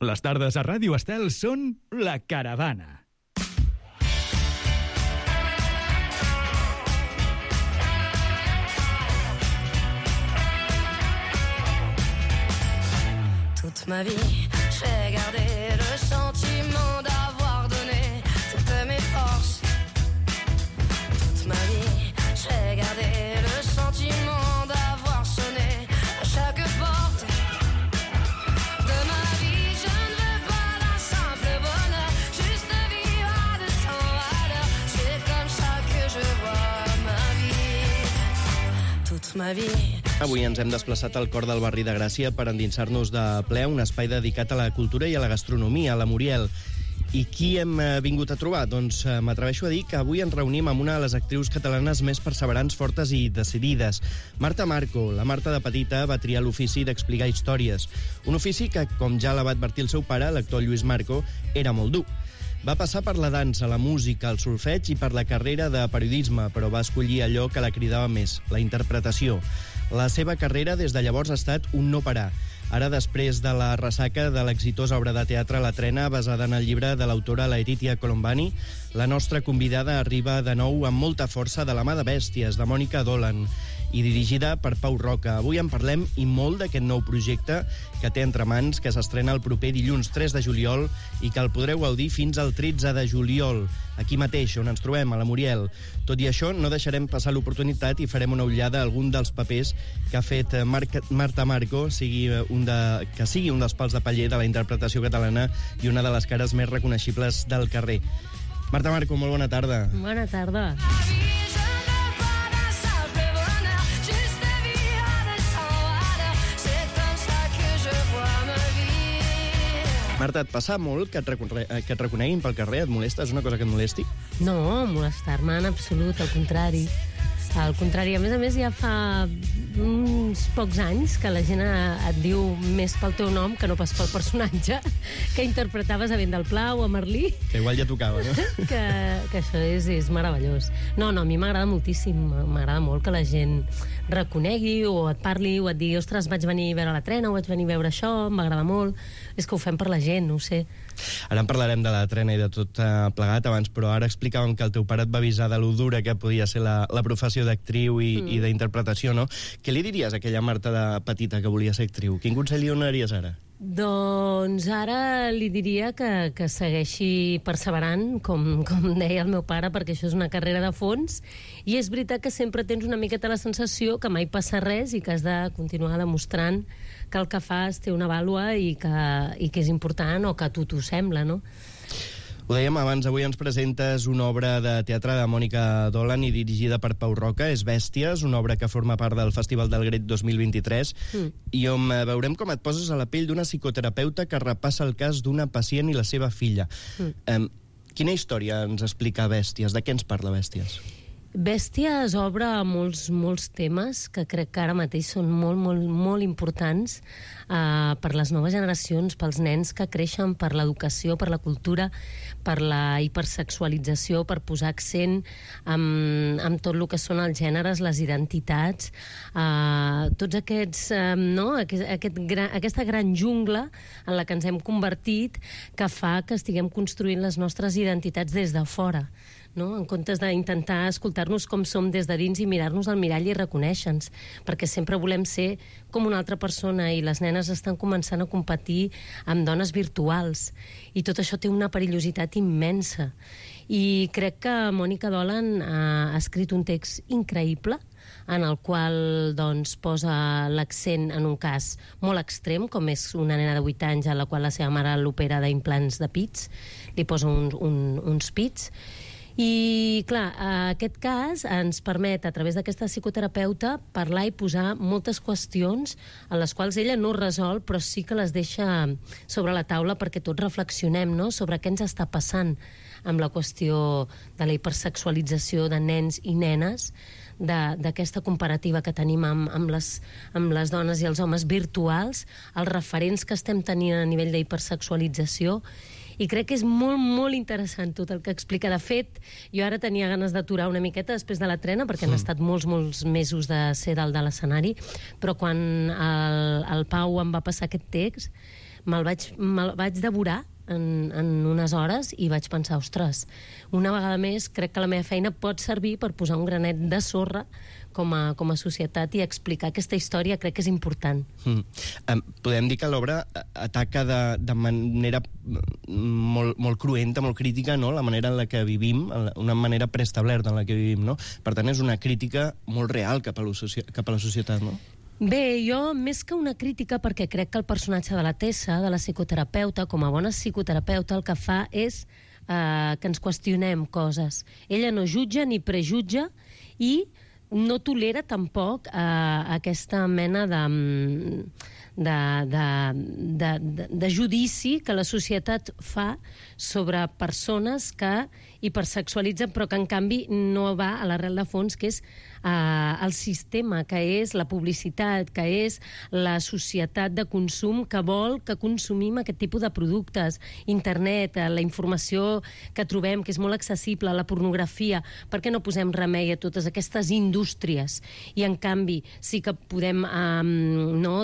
Les tardes a Ràdio Estel són La Caravana. Toute ma vie, j'ai gardé le sentiment d'avoir donné toutes mes forces. Toute ma vie, j'ai gardé le sentiment d'avoir sonné à chaque porte de ma vie. Je ne veux pas d'un simple bonheur, juste vivre à 200 à l'heure. C'est comme ça que je vois ma vie, toute ma vie. Avui ens hem desplaçat al cor del barri de Gràcia per endinsar-nos de ple a un espai dedicat a la cultura i a la gastronomia, a la Muriel. I qui hem vingut a trobar? Doncs m'atreveixo a dir que avui ens reunim amb una de les actrius catalanes més perseverants, fortes i decidides. Marta Marco. La Marta de petita va triar l'ofici d'explicar històries. Un ofici que, com ja la va advertir el seu pare, l'actor Lluís Marco, era molt dur. Va passar per la dansa, la música, el solfeig i per la carrera de periodisme, però va escollir allò que la cridava més, la interpretació. La seva carrera des de llavors ha estat un no parar. Ara, després de la ressaca de l'exitosa obra de teatre La Trena, basada en el llibre de l'autora Laetitia Colombani, la nostra convidada arriba de nou amb molta força de la mà de Bèsties, de Mònica Dolan, i dirigida per Pau Roca. Avui en parlem i molt d'aquest nou projecte que té entre mans, que s'estrena el proper dilluns 3 de juliol i que el podreu gaudir fins al 13 de juliol, aquí mateix, on ens trobem, a la Muriel. Tot i això, no deixarem passar l'oportunitat i farem una ullada a algun dels papers que ha fet Marta Marco, que sigui un dels pals de paller de la interpretació catalana i una de les cares més reconeixibles del carrer. Marta Marco, molt bona tarda. Bona tarda. Marta, et passa molt que et reconeguin pel carrer? Et molesta? És una cosa que et molesti? No, molestar-me en absolut, al contrari. Al contrari, a més, ja fa uns pocs anys que la gent et diu més pel teu nom que no pas pel personatge que interpretaves a Vent del Pla o a Merlí. Que igual ja tocava, no? que això és meravellós. No, a mi m'agrada moltíssim, m'agrada molt que la gent reconegui o et parli o et digui, ostres, vaig venir a veure La Trena o vaig venir a veure això, m'agrada molt. És que ho fem per la gent, no ho sé. Ara en parlarem de La Trena i de tot plegat abans, però ara explicàvem que el teu pare et va avisar de lo dura que podia ser la professió d'actriu i d'interpretació, no? Què li diries a aquella Marta de petita que volia ser actriu? Quin consell li donaries ara? Doncs ara li diria que segueixi perseverant, com deia el meu pare, perquè això és una carrera de fons, i és veritat que sempre tens una miqueta la sensació que mai passa res i que has de continuar demostrant que el que fas té una vàlua i que és important, o que a tu t'ho sembla, no? Ho dèiem abans, avui ens presentes una obra de teatre de Mònica Dolan i dirigida per Pau Roca, és Bèsties, una obra que forma part del Festival del Gret 2023, i on veurem com et poses a la pell d'una psicoterapeuta que repassa el cas d'una pacient i la seva filla. Quina història ens explica Bèsties? De què ens parla Bèsties? Bèsties obre molts temes que crec que ara mateix són molt importants per les noves generacions, pels nens que creixen, per l'educació, per la cultura, per la hipersexualització, per posar accent amb tot el que són els gèneres, les identitats, tots aquests, aquesta gran jungla en la que ens hem convertit, que fa que estiguem construint les nostres identitats des de fora, no? En comptes d'intentar escoltar-nos com som des de dins i mirar-nos al mirall i reconèixer-nos, perquè sempre volem ser com una altra persona i les nenes estan començant a competir amb dones virtuals i tot això té una perillositat immensa. I crec que Mònica Dolan ha escrit un text increïble en el qual doncs, posa l'accent en un cas molt extrem, com és una nena de 8 anys a la qual la seva mare l'opera d'implants de pits, li posa uns pits. I, clar, aquest cas ens permet, a través d'aquesta psicoterapeuta, parlar i posar moltes qüestions en les quals ella no resol, però sí que les deixa sobre la taula perquè tots reflexionem, no?, sobre què ens està passant amb la qüestió de la hipersexualització de nens i nenes, d'aquesta comparativa que tenim amb les dones i els homes virtuals, els referents que estem tenint a nivell d'hipersexualització. I crec que és molt interessant tot el que explica. De fet, jo ara tenia ganes d'aturar una miqueta després de La Trena, perquè han estat molts mesos de ser dalt de l'escenari, però quan el Pau em va passar aquest text me'l vaig devorar en unes hores i vaig pensar, ostres, una vegada més crec que la meva feina pot servir per posar un granet de sorra com a societat i explicar aquesta història. Crec que és important. Podem dir que l'obra ataca de manera molt cruenta, molt crítica, no? La manera en la que vivim, una manera preestablerta en la que vivim, no? Per tant, és una crítica molt real cap a la societat, no? Bé, jo, més que una crítica, perquè crec que el personatge de la Tessa, de la psicoterapeuta, com a bona psicoterapeuta, el que fa és que ens qüestionem coses. Ella no jutja ni prejutja i no tolera tampoc aquesta mena de judici que la societat fa sobre persones que hipersexualitzen, però que en canvi no va a l'arrel de fons, que és el sistema, que és la publicitat, que és la societat de consum que vol que consumim aquest tipus de productes. Internet, la informació que trobem, que és molt accessible, la pornografia. Per què no posem remei a totes aquestes indústries? I en canvi sí que podem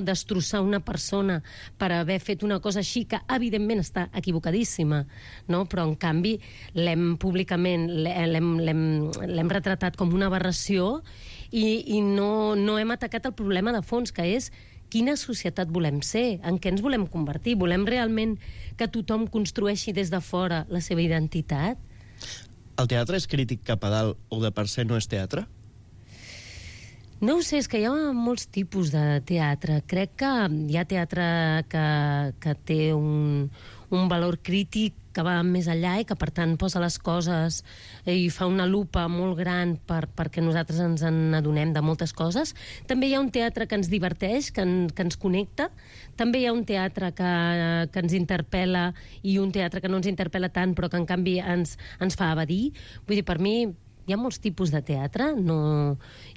destrossar una persona per haver fet una cosa així, que evidentment està equivocadíssima, no? Però en canvi públicament l'hem retratat com una aberració i no hem atacat el problema de fons, que és quina societat volem ser, en què ens volem convertir. Volem realment que tothom construeixi des de fora la seva identitat? El teatre és crític cap a dalt o de per se no és teatre? No ho sé, és que hi ha molts tipus de teatre. Crec que hi ha teatre que té un valor crític que va més enllà i que, per tant, posa les coses i fa una lupa molt gran perquè nosaltres ens n'adonem de moltes coses. També hi ha un teatre que ens diverteix, que ens connecta. També hi ha un teatre que ens interpel·la i un teatre que no ens interpel·la tant, però que, en canvi, ens fa evadir. Vull dir, per mi hi ha molts tipus de teatre,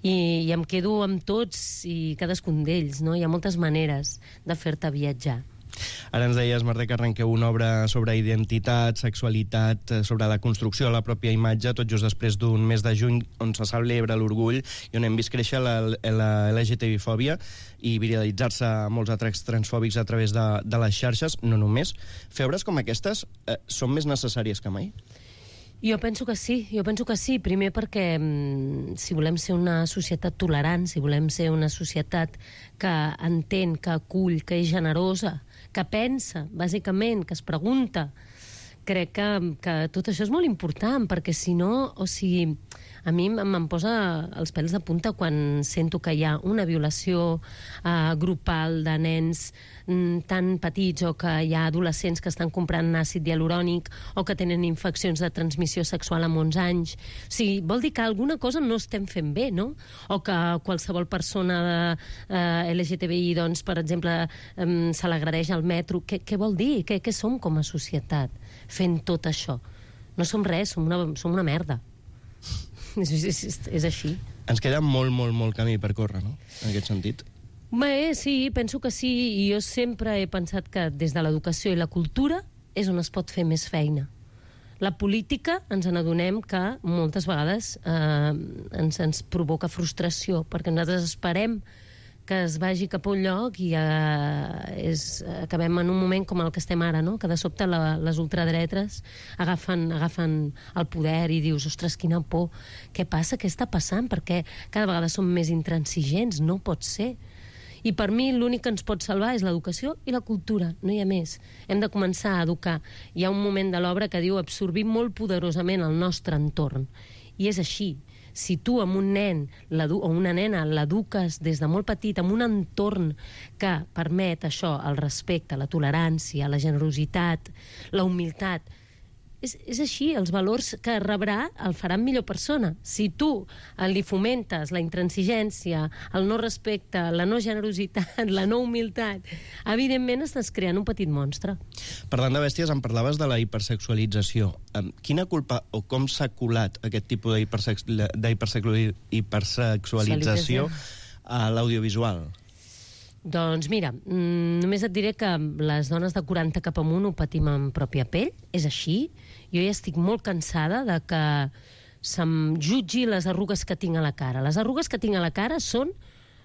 i em quedo amb tots i cadascun d'ells, no? Hi ha moltes maneres de fer-te viatjar. Ara ens deies, Mercè, que arrenqueu una obra sobre identitat, sexualitat, sobre la construcció de la pròpia imatge, tot just després d'un mes de juny on se celebra l'orgull i on hem vist créixer la LGTB-fòbia i viralitzar-se molts atacs transfòbics a través de les xarxes. No només. Fer obres com aquestes són més necessàries que mai? Jo penso que sí. Primer perquè si volem ser una societat tolerant, si volem ser una societat que entén, que acull, que és generosa, que pensa, bàsicament, que es pregunta, crec que tot això és molt important, perquè si no, o sigui, a mi em posa els pèls de punta quan sento que hi ha una violació grupal de nens tan petits, o que hi ha adolescents que estan comprant àcid hialurònic o que tenen infeccions de transmissió sexual amb 11 anys. O sigui, vol dir que alguna cosa no estem fent bé, no? O que qualsevol persona LGTBI, doncs, per exemple, se l'agredeix al metro. Què vol dir? Què som com a societat fent tot això? No som res, som una merda. És així. Ens queda molt camí per córrer, no?, en aquest sentit. Bé, sí, penso que sí, i jo sempre he pensat que des de l'educació i la cultura és on es pot fer més feina. La política ens n'adonem que moltes vegades ens provoca frustració, perquè nosaltres esperem que es vagi cap a un lloc i acabem en un moment com el que estem ara, no? Que de sobte les ultradretes agafen el poder i dius, ostres, quina por, què passa, què està passant? Perquè cada vegada som més intransigents, no pot ser. I per mi l'únic que ens pot salvar és l'educació i la cultura, no hi ha més. Hem de començar a educar. Hi ha un moment de l'obra que diu absorbir molt poderosament el nostre entorn. I és així. Si tu amb un nen o una nena l'eduques des de molt petit amb un entorn que permet això, el respecte, la tolerància, la generositat, la humilitat, és així, els valors que rebrà el faran millor persona. Si tu li fomentes la intransigència, el no respecte, la no generositat, la no humilitat, evidentment estàs creant un petit monstre. Parlant de bèsties, em parlaves de la hipersexualització. Quina culpa o com s'ha colat aquest tipus d'hipersexualització a l'audiovisual? Doncs mira, només et diré que les dones de 40 cap amunt ho patim en pròpia pell, és així. Jo ja estic molt cansada de que se'm jutgi les arrugues que tinc a la cara. Les arrugues que tinc a la cara són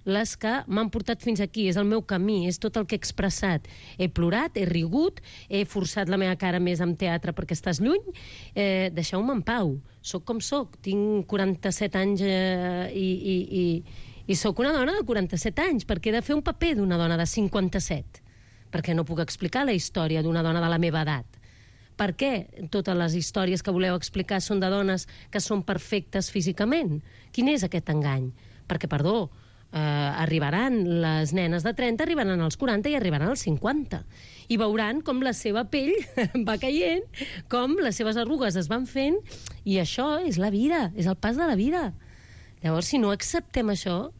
les que m'han portat fins aquí, és el meu camí, és tot el que he expressat. He plorat, he rigut, he forçat la meva cara més amb teatre perquè estàs lluny, deixeu-me en pau. Soc com soc, tinc 47 anys i sóc una dona de 47 anys, perquè he de fer un paper d'una dona de 57, perquè no puc explicar la història d'una dona de la meva edat. Per què totes les històries que voleu explicar són de dones que són perfectes físicament? Quin és aquest engany? Perquè, perdó, arribaran les nenes de 30, arribaran als 40 i arribaran als 50. I veuran com la seva pell va caient, com les seves arrugues es van fent, i això és la vida, és el pas de la vida. Llavors, si no acceptem això,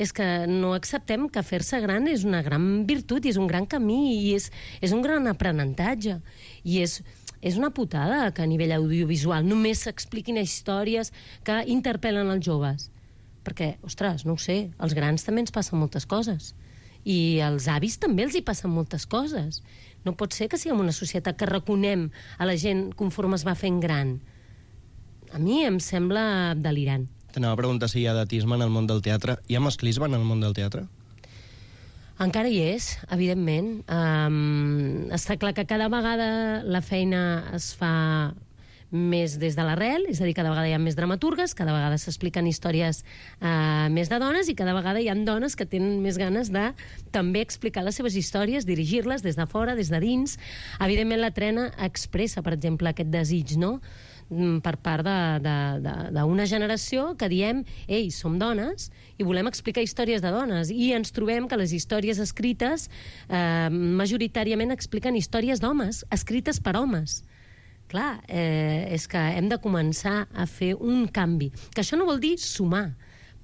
és que no acceptem que fer-se gran és una gran virtut i és un gran camí i és un gran aprenentatge. I és una putada que a nivell audiovisual només s'expliquin històries que interpel·len els joves. Perquè, ostres, no ho sé, als grans també ens passen moltes coses. I als avis també els hi passen moltes coses. No pot ser que siguem una societat que reconem a la gent conforme es va fent gran. A mi em sembla delirant. T'anava a preguntar si hi ha edatisme en el món del teatre. Hi ha masclisme en el món del teatre? Encara hi és, evidentment. Està clar que cada vegada la feina es fa més des de l'arrel, és a dir, cada vegada hi ha més dramaturgues, cada vegada s'expliquen històries més de dones i cada vegada hi ha dones que tenen més ganes de també explicar les seves històries, dirigir-les des de fora, des de dins. Evidentment la trena expressa, per exemple, aquest desig, no?, per part d'una generació que diem, ei, som dones i volem explicar històries de dones, i ens trobem que les històries escrites majoritàriament expliquen històries d'homes, escrites per homes. Clar, és que hem de començar a fer un canvi, que això no vol dir sumar.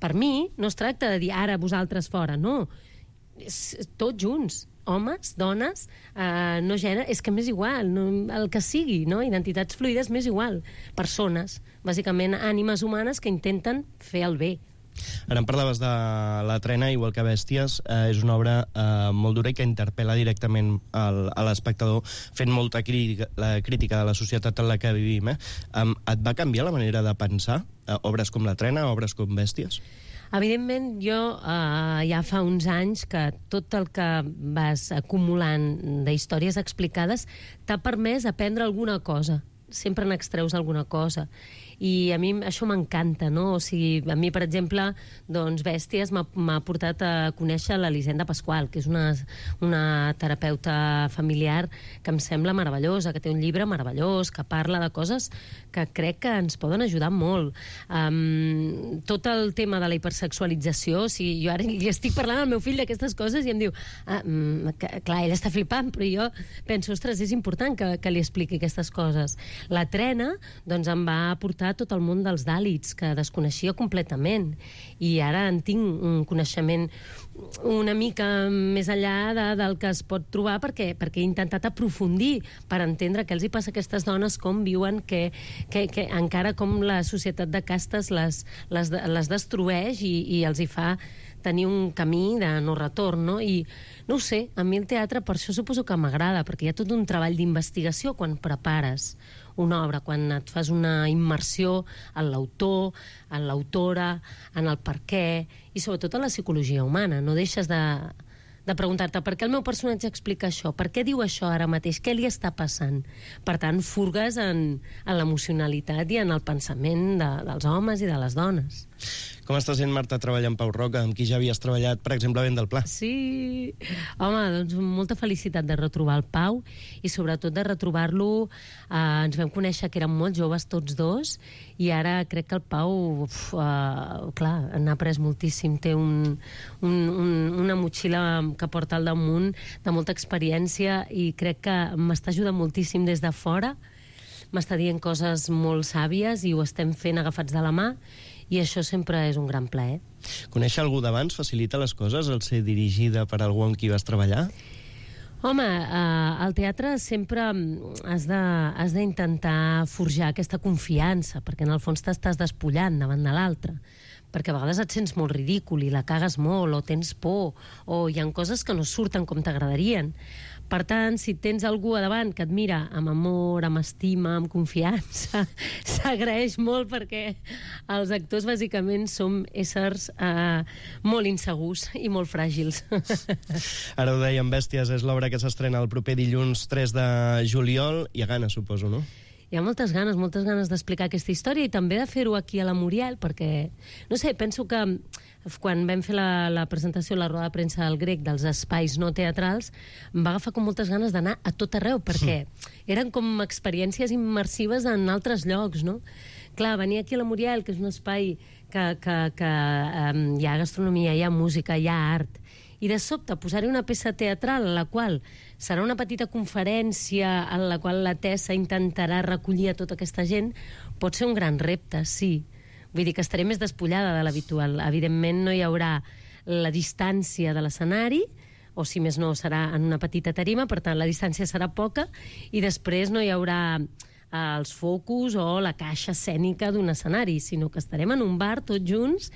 Per mi no es tracta de dir ara vosaltres fora, no, tots junts, homes, dones, no gènere, és que m'és igual, no, el que sigui, no? Identitats fluides m'és igual. Persones, bàsicament ànimes humanes que intenten fer el bé. Ara em parlaves de La trena, igual que Bèsties, és una obra molt dura i que interpel·la directament a l'espectador, fent molta crítica de la societat en la que vivim. Et va canviar la manera de pensar obres com La trena, obres com Bèsties? Evidentment, jo ja fa uns anys que tot el que vas acumulant d'històries explicades t'ha permès aprendre alguna cosa. Sempre n'extreus alguna cosa. I a mi això m'encanta, no? O sigui, a mi, per exemple, doncs Bèsties m'ha portat a conèixer l'Elisenda Pasqual, que és una terapeuta familiar que em sembla meravellosa, que té un llibre meravellós, que parla de coses que crec que ens poden ajudar molt. Tot el tema de la hipersexualització, o sigui, jo ara li estic parlant al meu fill d'aquestes coses i em diu, clar, ell està flipant, però jo penso, ostres, és important que li expliqui aquestes coses. La trena, doncs, em va portar tot el món dels Dàlits, que desconeixia completament, i ara en tinc un coneixement una mica més enllà del que es pot trobar, perquè he intentat aprofundir per entendre què els hi passa a aquestes dones, com viuen, que encara com la societat de castes les destrueix i els hi fa tenir un camí de no retorn, no? I no ho sé, a mi el teatre per això suposo que m'agrada, perquè hi ha tot un treball d'investigació quan prepares una obra, quan et fas una immersió en l'autor, en l'autora, en el per què, i sobretot en la psicologia humana. No deixes de preguntar-te per què el meu personatge explica això, per què diu això ara mateix, què li està passant. Per tant, furgues en l'emocionalitat i en el pensament dels homes i de les dones. Com està sent, Marta, treballar amb Pau Roca, amb qui ja havies treballat, per exemple, a Vent del Pla? Sí, home, doncs molta felicitat de retrobar el Pau i sobretot de retrobar-lo. Ens vam conèixer que érem molt joves tots dos i ara crec que el Pau, clar, n'ha après moltíssim. Té una motxilla que porta al damunt de molta experiència i crec que m'està ajudant moltíssim des de fora. M'està dient coses molt sàvies i ho estem fent agafats de la mà. I això sempre és un gran plaer. Conèixer algú d'abans facilita les coses, el ser dirigida per algú amb qui vas treballar? Home, al teatre sempre has d'intentar forjar aquesta confiança, perquè en el fons t'estàs despullant davant de l'altre. Perquè a vegades et sents molt ridícul i la cagues molt, o tens por, o hi ha coses que no surten com t'agradarien. Per tant, si tens algú a davant que et mira amb amor, amb estima, amb confiança, s'agraeix molt perquè els actors bàsicament som éssers molt insegurs i molt fràgils. Ara ho dèiem, Bèsties és l'obra que s'estrena el proper dilluns 3 de juliol, i a gana, suposo, no? Hi ha moltes ganes d'explicar aquesta història i també de fer-ho aquí a la Muriel, perquè, no sé, penso que quan vam fer la presentació, la roda de premsa del Grec, dels espais no teatrals, em va agafar com moltes ganes d'anar a tot arreu, perquè eren com experiències immersives en altres llocs, no? Clar, venir aquí a la Muriel, que és un espai que hi ha gastronomia, hi ha música, hi ha art, i de sobte posar-hi una peça teatral en la qual serà una petita conferència en la qual la Tessa intentarà recollir a tota aquesta gent, pot ser un gran repte, sí. Vull dir que estaré més despullada de l'habitual. Evidentment no hi haurà la distància de l'escenari, o si més no serà en una petita tarima, per tant la distància serà poca, i després no hi haurà els focus o la caixa escènica d'un escenari, sinó que estarem en un bar tots junts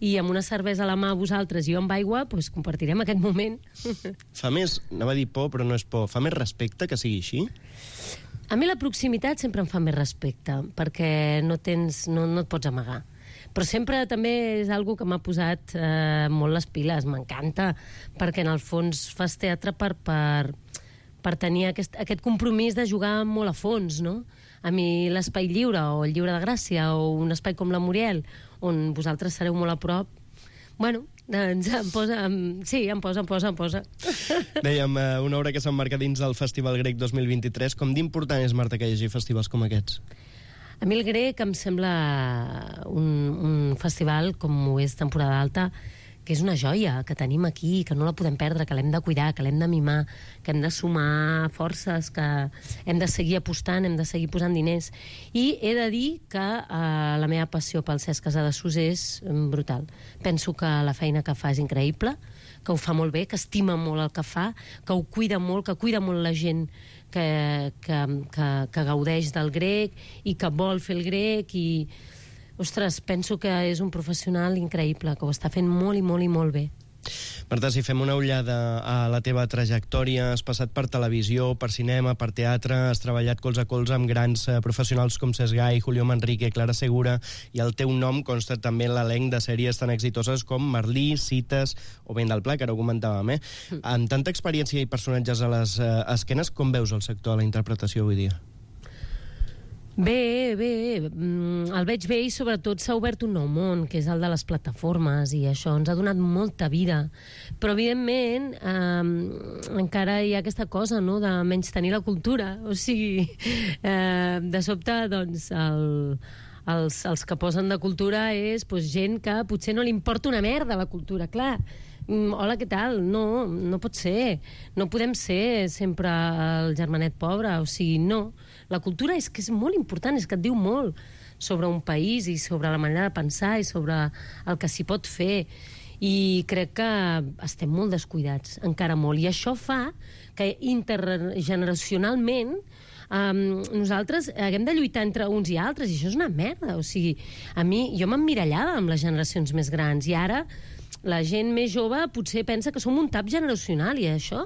i amb una cervesa a la mà vosaltres i jo amb aigua, doncs compartirem aquest moment. Fa més, anava a dir por, però no és por, fa més respecte que sigui així? A mi la proximitat sempre em fa més respecte, perquè no et pots amagar. Però sempre també és algo que m'ha posat molt les piles, m'encanta, perquè en el fons fas teatre per tenir aquest compromís de jugar molt a fons, no? A mi l'espai lliure, o el Lliure de Gràcia, o un espai com la Muriel, on vosaltres sereu molt a prop, bueno, doncs em posa. Dèiem, una obra que s'emmarca dins del Festival Grec 2023. Com d'important és, Marta, que hi hagi festivals com aquests? A mi el Grec em sembla un festival, com ho és temporada alta, que és una joia que tenim aquí, que no la podem perdre, que l'hem de cuidar, que l'hem de mimar, que hem de sumar forces, que hem de seguir apostant, hem de seguir posant diners. I he de dir que la meva passió pel Cesc Casadesús és brutal. Penso que la feina que fa és increïble, que ho fa molt bé, que estima molt el que fa, que ho cuida molt, que cuida molt la gent que gaudeix del Grec i que vol fer el Grec i... Ostres, penso que és un professional increïble, que ho està fent molt i molt i molt bé. Marta, si fem una ullada a la teva trajectòria, has passat per televisió, per cinema, per teatre, has treballat colze a colze amb grans professionals com Cesc Gai, Julio Manrique, Clara Segura, i el teu nom consta també en l'elenc de sèries tan exitoses com Merlí, Cites o Vent del Pla, que ara ho comentàvem, Amb tanta experiència i personatges a les esquenes, com veus el sector de la interpretació avui dia? Bé, el veig bé i sobretot s'ha obert un nou món, que és el de les plataformes, i això ens ha donat molta vida. Però, evidentment, encara hi ha aquesta cosa, no?, de menystenir la cultura. O sigui, de sobte, doncs, els que posen de cultura és gent que potser no li importa una merda la cultura, clar. Hola, què tal? No pot ser. No podem ser sempre el germanet pobre, o sigui, no. La cultura és que és molt important, és que et diu molt sobre un país i sobre la manera de pensar i sobre el que s'hi pot fer. I crec que estem molt descuidats, encara molt. I això fa que intergeneracionalment nosaltres haguem de lluitar entre uns i altres, i això és una merda. O sigui, jo m'emmirallava amb les generacions més grans, i ara la gent més jove potser pensa que som un tap generacional, i això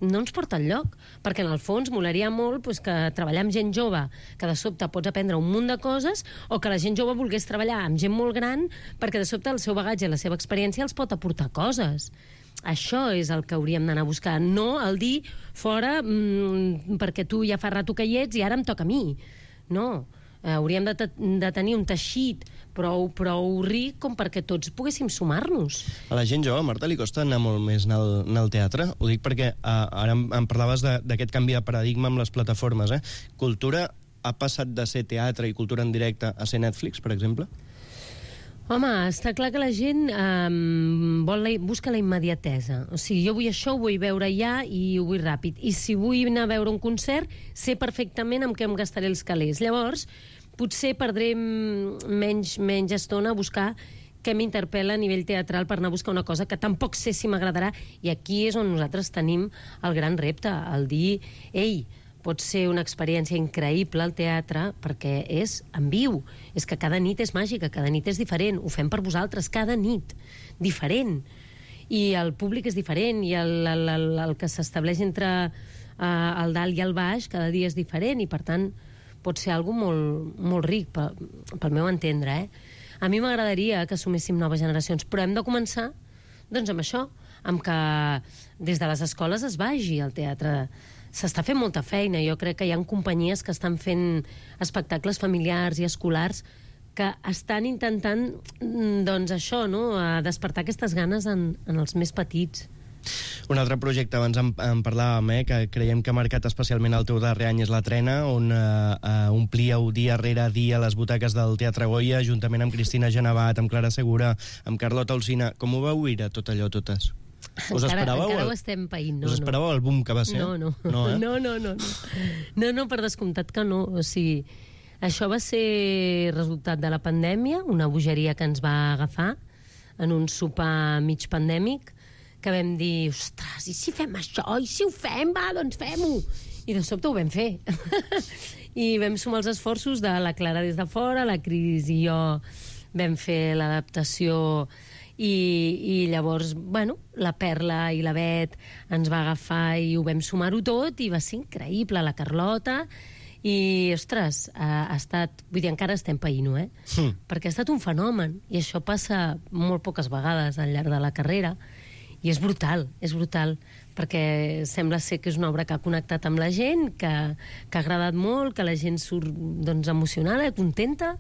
no ens porta enlloc, perquè en el fons molaria molt que treballar amb gent jove, que de sobte pots aprendre un munt de coses, o que la gent jove volgués treballar amb gent molt gran, perquè de sobte el seu bagatge i la seva experiència els pot aportar coses. Això és el que hauríem d'anar a buscar, no el dir fora perquè tu ja fa rato que hi ets i ara em toca a mi. No, hauríem de tenir un teixit prou ric com perquè tots poguéssim sumar-nos. A la gent jove, Marta, li costa anar molt més en el teatre? Ho dic perquè ara em parlaves d'aquest canvi de paradigma amb les plataformes. Cultura ha passat de ser teatre i cultura en directe a ser Netflix, per exemple? Home, està clar que la gent busca la immediatesa. O sigui, jo vull això, ho vull veure ja i ho vull ràpid. I si vull anar a veure un concert, sé perfectament amb què em gastaré els calés. Llavors, potser perdré menys estona a buscar què m'interpel·la a nivell teatral per anar a buscar una cosa que tampoc sé si m'agradarà. I aquí és on nosaltres tenim el gran repte, el dir, ei, pot ser una experiència increïble al teatre perquè és en viu. És que cada nit és màgica, cada nit és diferent. Ho fem per vosaltres, cada nit. Diferent. I el públic és diferent, i el que s'estableix entre el dalt i el baix, cada dia és diferent, i per tant pot ser algo molt, molt ric, pel meu entendre, A mi m'agradaria que assumíssim noves generacions, però hem de començar doncs amb això, amb que des de les escoles es vagi al teatre. S'està fent molta feina. Jo crec que hi ha companyies que estan fent espectacles familiars i escolars que estan intentant, doncs això, no?, despertar aquestes ganes en els més petits. Un altre projecte, abans en parlàvem, que creiem que ha marcat especialment el teu darrer any, és La Trena, on omplíeu dia rere dia les butaques del Teatre Goya, juntament amb Cristina Genevat, amb Clara Segura, amb Carlota Alsina. Com ho veu viure tot allò, totes? Us esperàveu? Encara ho estem païnt, no. Us esperàveu el boom que va ser? No. No, per descomptat que no. O sigui, això va ser resultat de la pandèmia, una bogeria que ens va agafar en un sopar mig pandèmic, que vam dir, ostres, i si fem això? I si ho fem? Va, doncs fem-ho! I de sobte ho vam fer. I vam sumar els esforços de la Clara des de fora, la Cris i jo vam fer l'adaptació, i llavors, bueno, la Perla i la Bet ens va agafar i ho vam sumar-ho tot, i va ser increïble, la Carlota, i, ostres, ha estat... Vull dir, encara estem païnt-ho, perquè ha estat un fenomen, i això passa molt poques vegades al llarg de la carrera, i és brutal, perquè sembla ser que és una obra que ha connectat amb la gent, que ha agradat molt, que la gent surt doncs, emocionada, contenta,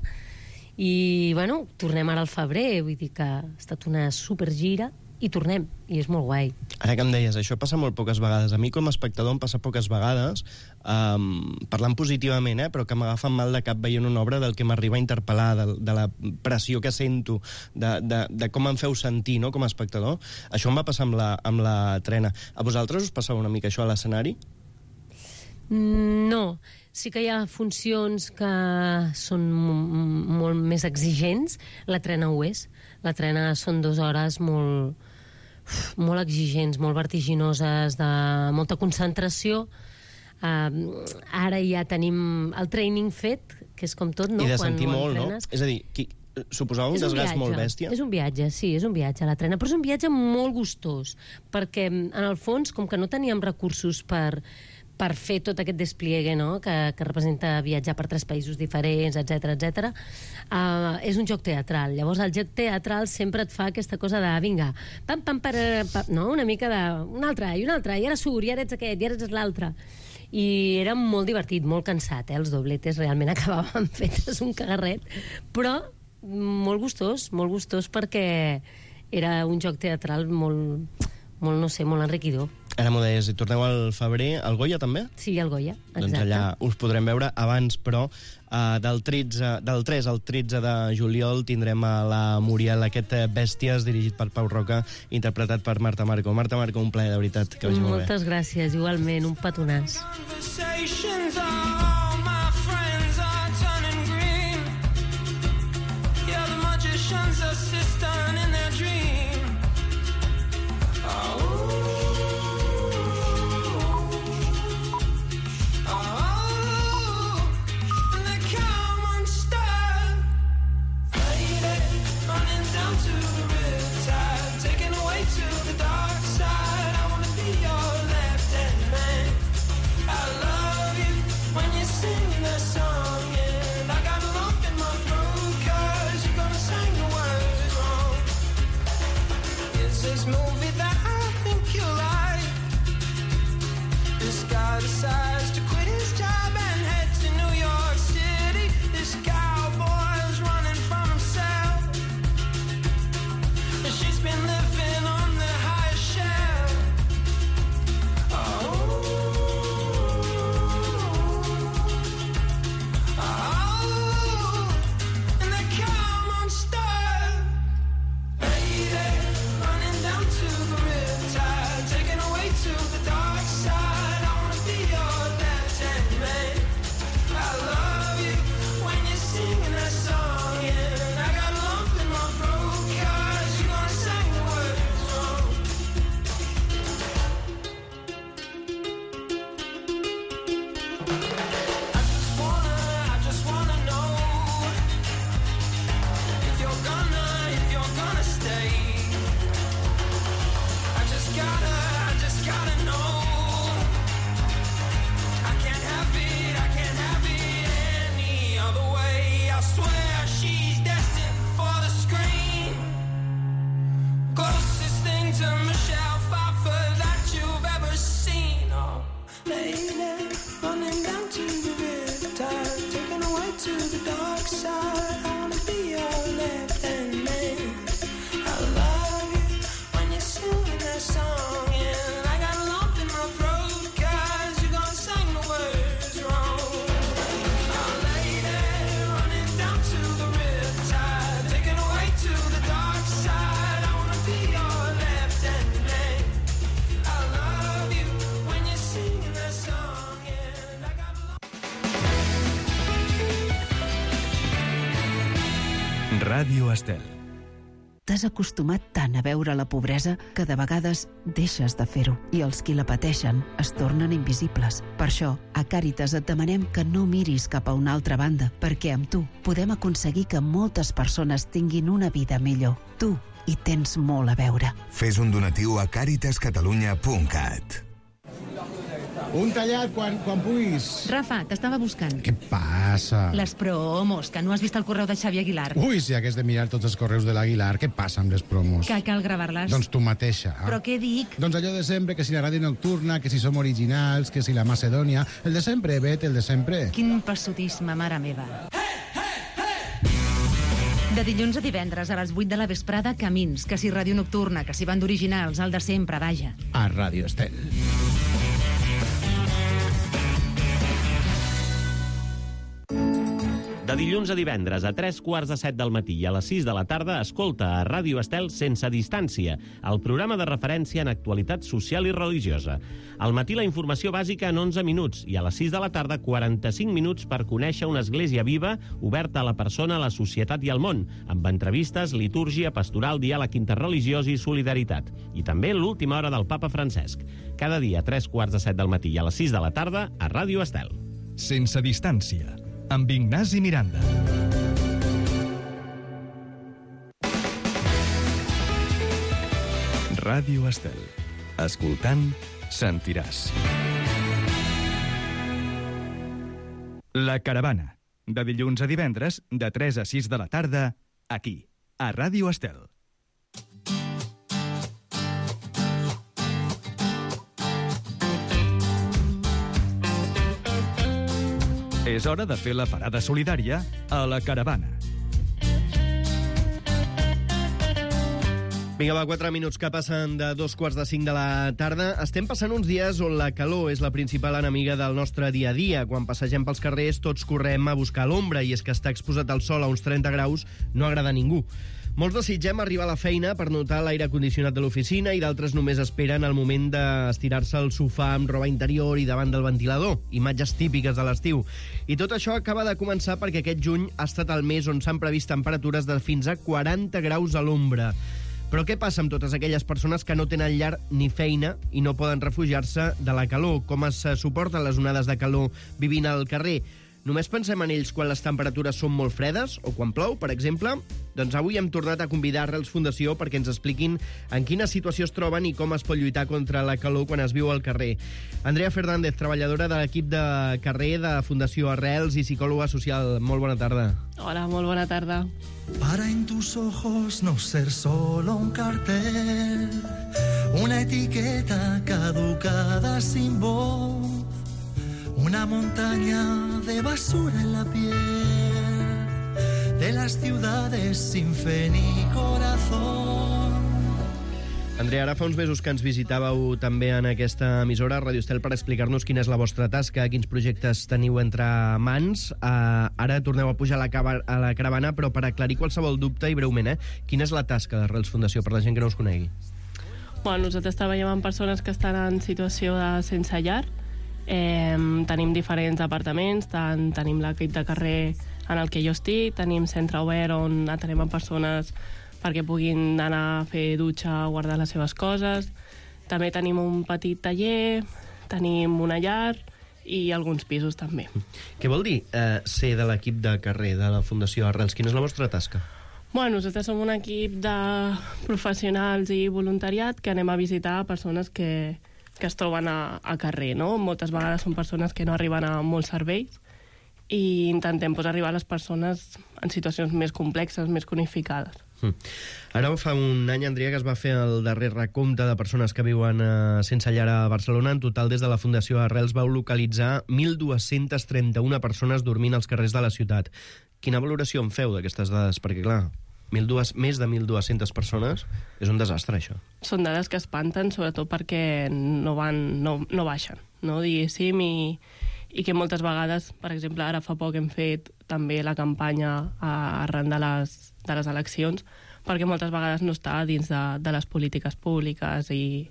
i bueno, tornem ara al febrer, vull dir que ha estat una supergira, i tornem, i és molt guai. Ara que em deies, això passa molt poques vegades. A mi com a espectador em passa poques vegades, parlant positivament, però que m'agafa mal de cap veient una obra del que m'arriba a interpel·lar, de la pressió que sento, de com em feu sentir, no?, com a espectador. Això em va passar amb la Trena. A vosaltres us passava una mica això a l'escenari? No. Sí que hi ha funcions que són molt més exigents. La Trena ho és. La Trena són 2 hores molt exigents, molt vertiginoses, de molta concentració. Ara ja tenim el training fet, que és com tot, no? I de sentir molt, no? És a dir, suposava un desgast molt bèstia? És un viatge, sí, és un viatge a la Trena, però és un viatge molt gustós, perquè en el fons, com que no teníem recursos per fer tot aquest despliegue, no?, que representa viatjar per 3 països diferents, etc. És un joc teatral. Llavors, el joc teatral sempre et fa aquesta cosa de, vinga, pam, pam, no?, una mica de... un altre, i ara surt, i ara ets aquest, i ara ets l'altre. I era molt divertit, molt cansat, Els dobletes realment acabaven fetes un cagarret, però molt gustós perquè era un joc teatral molt, no sé, molt enriquidor. Ara m'ho deies, i torneu al febrer. Al Goya, també? Sí, al Goya, exacte. Doncs allà us podrem veure. Abans, però, del 3 al 13 de juliol tindrem a la Muriel aquest Bèsties, dirigit per Pau Roca, interpretat per Marta Marco. Marta Marco, un plaer, de veritat, que vagi molt bé. Moltes gràcies, igualment, un petonàs. When you side, I wanna be your left hand man. I love you when you're singing that song, and I got a lump in my throat 'cause you're gonna sing the words wrong. I'll lay there running down to the riptide, taken away to the dark side. I wanna be your left hand man. I love you when you're singing that song, and I got a lump. Ràdio Estel. T'has acostumat tant a veure la pobresa que de vegades deixes de fer-ho i els qui la pateixen es tornen invisibles. Per això, a Càritas et demanem que no miris cap a una altra banda, perquè amb tu podem aconseguir que moltes persones tinguin una vida millor. Tu hi tens molt a veure. Fes un donatiu a caritascatalunya.cat. Un tallat quan puguis. Rafa, t'estava buscant. Què passa? Les promos, que no has vist el correu de Xavi Aguilar. Ui, si hagués de mirar tots els correus de l'Aguilar, què passa amb les promos? Que cal gravar-les. Doncs tu mateixa. Però què dic? Doncs allò de sempre, que si la ràdio nocturna, que si som originals, que si la Macedònia... El de sempre, Bet, el de sempre. Quin passotisme, mare meva. De dilluns a divendres a les 8 de la vesprada, Camins, que si ràdio nocturna, que si banda originals, el de sempre, vaja. A Ràdio Estel. De dilluns a divendres a 3:15 del matí i a les 6 de la tarda escolta a Ràdio Estel Sense Distància, el programa de referència en actualitat social i religiosa. Al matí la informació bàsica en 11 minuts i a les 6 de la tarda 45 minuts per conèixer una església viva oberta a la persona, a la societat i al món, amb entrevistes, litúrgia, pastoral, diàleg interreligiós i solidaritat. I també l'última hora del papa Francesc. Cada dia a 3:15 del matí i a les 6 de la tarda a Ràdio Estel. Sense Distància, amb Ignasi Miranda. Ràdio Estel. Escoltant, sentiràs. La Caravana. De dilluns a divendres, de 3 a 6 de la tarda, aquí, a Ràdio Estel. És hora de fer la parada solidària a La Caravana. Vinga, va, 4 minuts que passen de 2:45 de la tarda. Estem passant uns dies on la calor és la principal enemiga del nostre dia a dia. Quan passegem pels carrers, tots correm a buscar l'ombra, i és que estar exposat al sol a uns 30 graus no agrada a ningú. Molts desitgem arribar a la feina per notar l'aire condicionat de l'oficina, i d'altres només esperen el moment d'estirar-se al sofà amb roba interior i davant del ventilador. Imatges típiques de l'estiu. I tot això acaba de començar perquè aquest juny ha estat el mes on s'han previst temperatures de fins a 40 graus a l'ombra. Però què passa amb totes aquelles persones que no tenen llar ni feina i no poden refugiar-se de la calor? Com es suporten les onades de calor vivint al carrer? Només pensem en ells quan les temperatures són molt fredes o quan plou, per exemple? Doncs avui hem tornat a convidar Arrels Fundació perquè ens expliquin en quina situació es troben i com es pot lluitar contra la calor quan es viu al carrer. Andrea Fernández, treballadora de l'equip de carrer de Fundació Arrels i psicòloga social. Molt bona tarda. Hola, molt bona tarda. Para en tus ojos no ser solo un cartel, una etiqueta caducada sin voz, una montaña de basura en la piel de las ciudades sin fe ni corazón. Andrea, ara fa uns mesos que ens visitàveu també en aquesta emissora, Ràdio Estel, per explicar-nos quina és la vostra tasca, quins projectes teniu entre mans. Ara torneu a pujar a la caravana, però per aclarir qualsevol dubte i breument, quina és la tasca d'Arrels Fundació per la gent que no us conegui? Bueno, nosaltres treballem amb persones que estan en situació de sense llar. Tenim diferents apartaments, tenim l'equip de carrer en el que jo estic, tenim centre obert on atenem a persones perquè puguin anar a fer dutxa, guardar les seves coses. També tenim un petit taller, tenim una llar i alguns pisos també. Què vol dir ser de l'equip de carrer de la Fundació Arrels? Quina és la vostra tasca? Bueno, nosaltres som un equip de professionals i voluntariat que anem a visitar persones que es troben a carrer, no? Moltes vegades són persones que no arriben a molts serveis i intentem arribar a les persones en situacions més complexes, més cronificades. Ara fa un any, Andrea, que es va fer el darrer recompte de persones que viuen sense llar a Barcelona. En total, des de la Fundació Arrels vau localitzar 1.231 persones dormint als carrers de la ciutat. Quina valoració en feu d'aquestes dades? Perquè, clar, més de 1.200 persones és un desastre, això. Són dades que espanten, sobretot perquè no baixen, no, diguéssim, i que moltes vegades, per exemple, ara fa poc hem fet també la campanya arran de les eleccions, perquè moltes vegades no està dins de les polítiques públiques i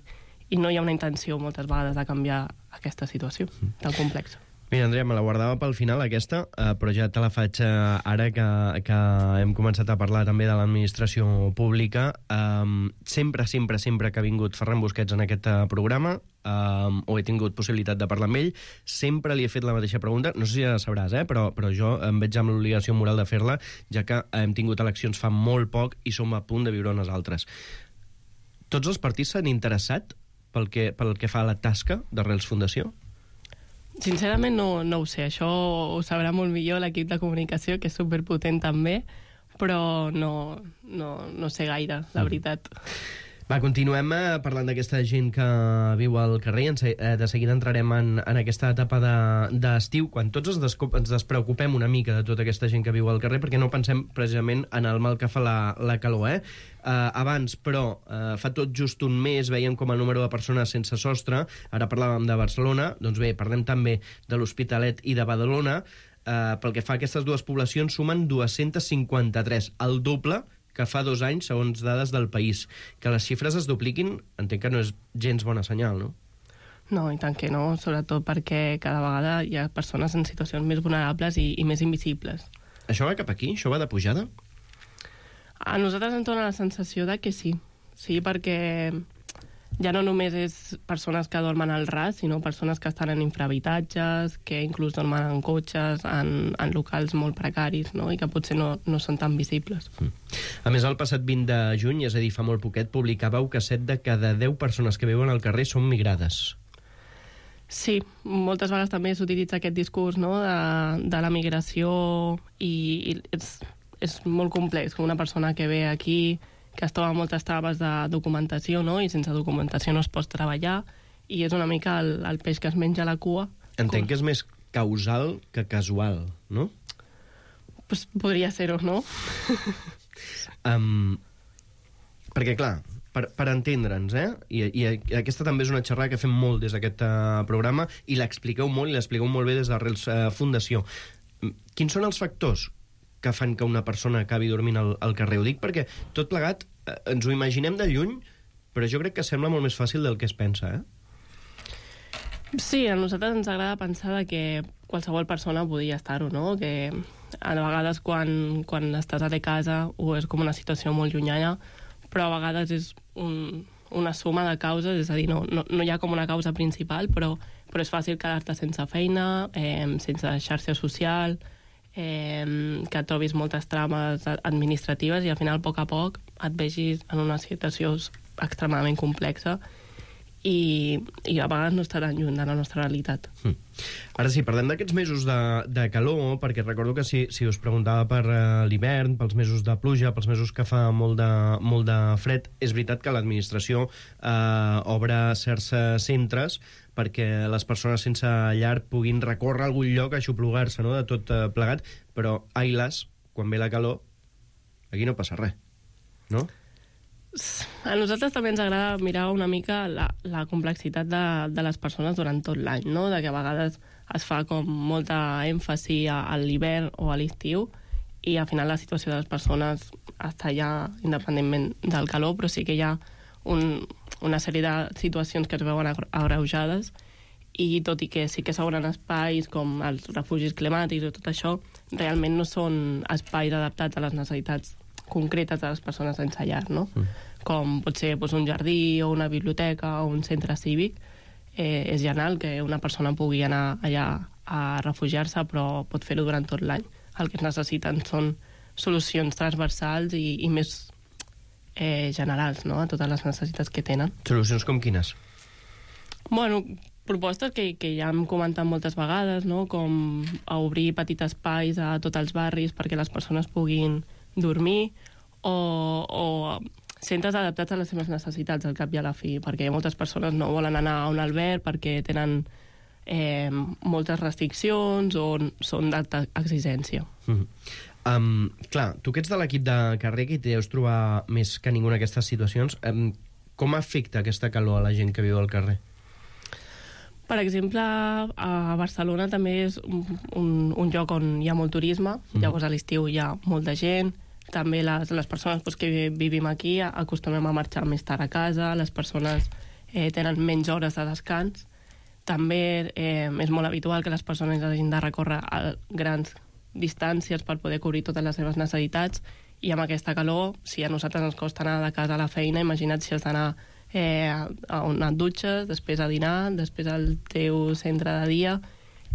no hi ha una intenció moltes vegades de canviar aquesta situació tan complexa. Mira, Andrea, me la guardava pel final, aquesta, però ja te la faig ara que hem començat a parlar també de l'administració pública. Sempre que ha vingut Ferran Busquets en aquest programa, o he tingut possibilitat de parlar amb ell, sempre li he fet la mateixa pregunta. No sé si ja la sabràs, però jo em veig amb l'obligació moral de fer-la, ja que hem tingut eleccions fa molt poc i som a punt de viure unes altres. Tots els partits s'han interessat pel que fa a la tasca d'Arrels Fundació? Sincerament no ho sé, això ho sabrà molt millor l'equip de comunicació, que és superpotent també, però no sé gaire, la veritat. Va, continuem parlant d'aquesta gent que viu al carrer. De seguida entrarem en aquesta etapa d'estiu, quan tots ens despreocupem una mica de tota aquesta gent que viu al carrer, perquè no pensem precisament en el mal que fa la calor, abans, però, fa tot just un mes veiem com el número de persones sense sostre, ara parlàvem de Barcelona, doncs bé, parlem també de l'Hospitalet i de Badalona. Pel que fa a aquestes dues poblacions, sumen 253, el doble que fa 2 anys, segons dades del País. Que les xifres es dupliquin, entenc que no és gens bona senyal, no? No, i tant que no, sobretot perquè cada vegada hi ha persones en situacions més vulnerables i més invisibles. Això va cap aquí? Això va de pujada? A nosaltres ens dona la sensació de que sí. Sí, perquè ja no només és persones que dormen al ras, sinó persones que estan en infrahabitatges, que inclús dormen en cotxes, en locals molt precaris, no? I que potser no són tan visibles. A més, el passat 20 de juny, és a dir, fa molt poquet, publicàveu que 7 de cada 10 persones que viuen al carrer són migrades. Sí, moltes vegades també s'utilitza aquest discurs, no?, de la migració, i és molt complex, que una persona que ve aquí, que es troba moltes traves de documentació, no?, i sense documentació no es pot treballar, i és una mica el peix que es menja la cua. Entenc que és més causal que casual, no? Pues podria ser-ho, no? Perquè, clar, per entendre'ns, i aquesta també és una xerrada que fem molt des d'aquest programa, i l'expliqueu molt, i l'expliqueu molt bé des d'Arrels Fundació. Quins són els factors que fan que una persona acabi dormint al carrer? Ho dic perquè tot plegat ens ho imaginem de lluny, però jo crec que sembla molt més fàcil del que es pensa, Sí, a nosaltres ens agrada pensar que qualsevol persona podia estar-ho, no? Que a vegades quan estàs a casa o és com una situació molt llunyana, però a vegades és una suma de causes, és a dir, no hi ha com una causa principal, però és fàcil quedar-te sense feina, sense xarxa social, que trobis moltes trames administratives i al final, a poc et vegis en una situació extremadament complexa i a vegades no està tan lluny de la nostra realitat. Ara sí, parlem d'aquests mesos de calor, perquè recordo que si us preguntava per l'hivern, pels mesos de pluja, pels mesos que fa molt de fred, és veritat que l'administració obre certs centres perquè les persones sense llar puguin recórrer a algun lloc a aixoplugar-se, no?, de tot plegat, però, ailas, quan ve la calor, aquí no passa res, no? A nosaltres també ens agrada mirar una mica la complexitat de les persones durant tot l'any, no?, de que a vegades es fa com molta èmfasi a l'hivern o a l'estiu i al final la situació de les persones està ja independentment del calor, però sí que hi ha una sèrie de situacions que es veuen agreujades i tot i que sí que s'obren espais com els refugis climàtics o tot això, realment no són espais adaptats a les necessitats concretes de les persones sense llar, no? Com pot ser un jardí o una biblioteca o un centre cívic. És genial que una persona pugui anar allà a refugiar-se, però pot fer-ho durant tot l'any. El que es necessiten són solucions transversals i més generals, no?, a totes les necessitats que tenen. Solucions com quines? Bueno, propostes que ja hem comentat moltes vegades, no?, com obrir petits espais a tots els barris perquè les persones puguin dormir, o centres adaptats a les seves necessitats al cap i a la fi, perquè moltes persones no volen anar a un alberg perquè tenen moltes restriccions o són d'alta exigència. Clar, tu que ets de l'equip de carrer, que t'hi deus trobar més que ningú en aquestes situacions, com afecta aquesta calor a la gent que viu al carrer? Per exemple, a Barcelona també és un lloc on hi ha molt turisme, llavors a l'estiu hi ha molta gent, també les persones que vivim aquí acostumem a marxar més tard a casa, les persones tenen menys hores de descans, també és molt habitual que les persones hagin de recórrer a grans distàncies per poder cobrir totes les seves necessitats, i amb aquesta calor, si a nosaltres ens costa anar de casa a la feina, imagina't si has d'anar a on et dutxes, després a dinar, després al teu centre de dia,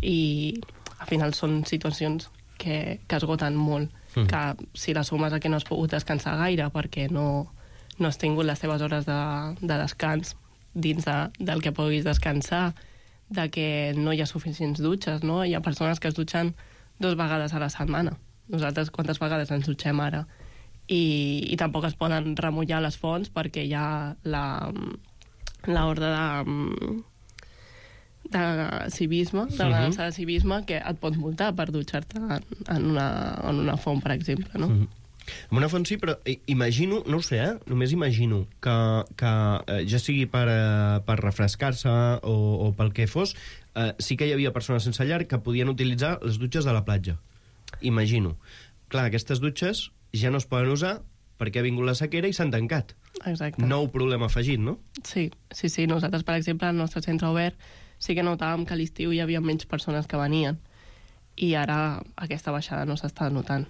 i al final són situacions que esgoten molt, que si les sumes a que no has pogut descansar gaire perquè no has tingut les teves hores de descans dins del que puguis descansar, de que no hi ha suficients dutxes, no? Hi ha persones que es dutxen 2 vegades a la setmana. Nosaltres quantes vegades ens dutxem ara? I tampoc es poden remullar les fonts perquè hi ha l'ordre de civisme, de l'ordenança de civisme, que et pot multar per dutxar-te en una font, per exemple, no? En una font sí, però imagino, no ho sé, només imagino que ja sigui per refrescar-se o pel que fos, sí que hi havia persones sense llar que podien utilitzar les dutxes de la platja. Imagino. Clar, aquestes dutxes ja no es poden usar perquè ha vingut la sequera i s'han tancat. Exacte. Nou problema afegit, no? Sí. Nosaltres, per exemple, al nostre centre obert sí que notàvem que a l'estiu hi havia menys persones que venien, i ara aquesta baixada no s'està notant.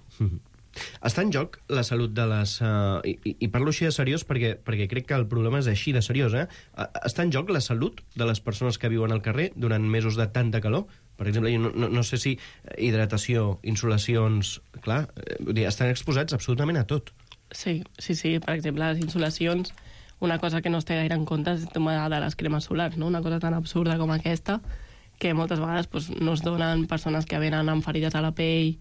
Està en joc la salut de les... I parlo així de seriós perquè crec que el problema és així de seriós, Està en joc la salut de les persones que viuen al carrer durant mesos de tanta calor? Per exemple, jo no sé si hidratació, insolacions... Clar, estan exposats absolutament a tot. Sí. Per exemple, les insolacions, una cosa que no es té gaire en compte és el tema de les cremes solars, no? Una cosa tan absurda com aquesta, que moltes vegades no es donen persones que venen amb ferides a la pell,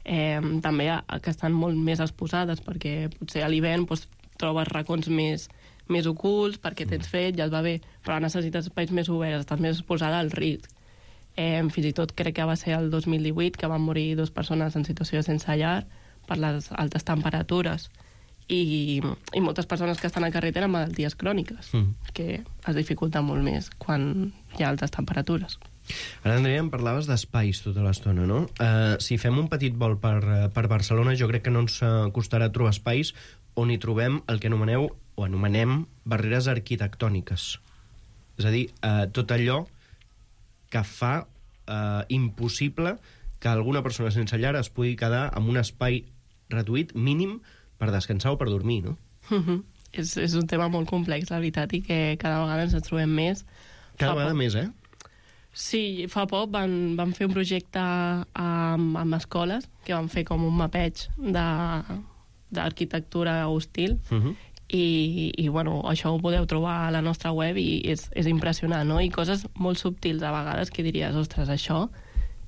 també que estan molt més exposades, perquè potser a l'hivern trobes racons més ocults perquè tens fred, ja et va bé, però necessites espais més oberts, estàs més exposada al risc. Fins i tot crec que va ser el 2018 que van morir 2 persones en situació de sense llar per les altes temperatures, i moltes persones que estan al carrer tenen malalties cròniques, que es dificulta molt més quan hi ha altes temperatures. Ara, Andrea, em parlaves d'espais tota l'estona, no? Si fem un petit vol per Barcelona, jo crec que no ens costarà trobar espais on hi trobem el que anomenem barreres arquitectòniques. És a dir, tot allò que fa impossible que alguna persona sense llar es pugui quedar en un espai reduït mínim per descansar o per dormir, no? És un tema molt complex, la veritat, i que cada vegada ens trobem més. Cada vegada més, Sí, fa poc van fer un projecte amb escoles, que van fer com un mapeig d'arquitectura hostil, i bueno, això ho podeu trobar a la nostra web i és impressionant, no? I coses molt subtils a vegades que diries, ostres, això,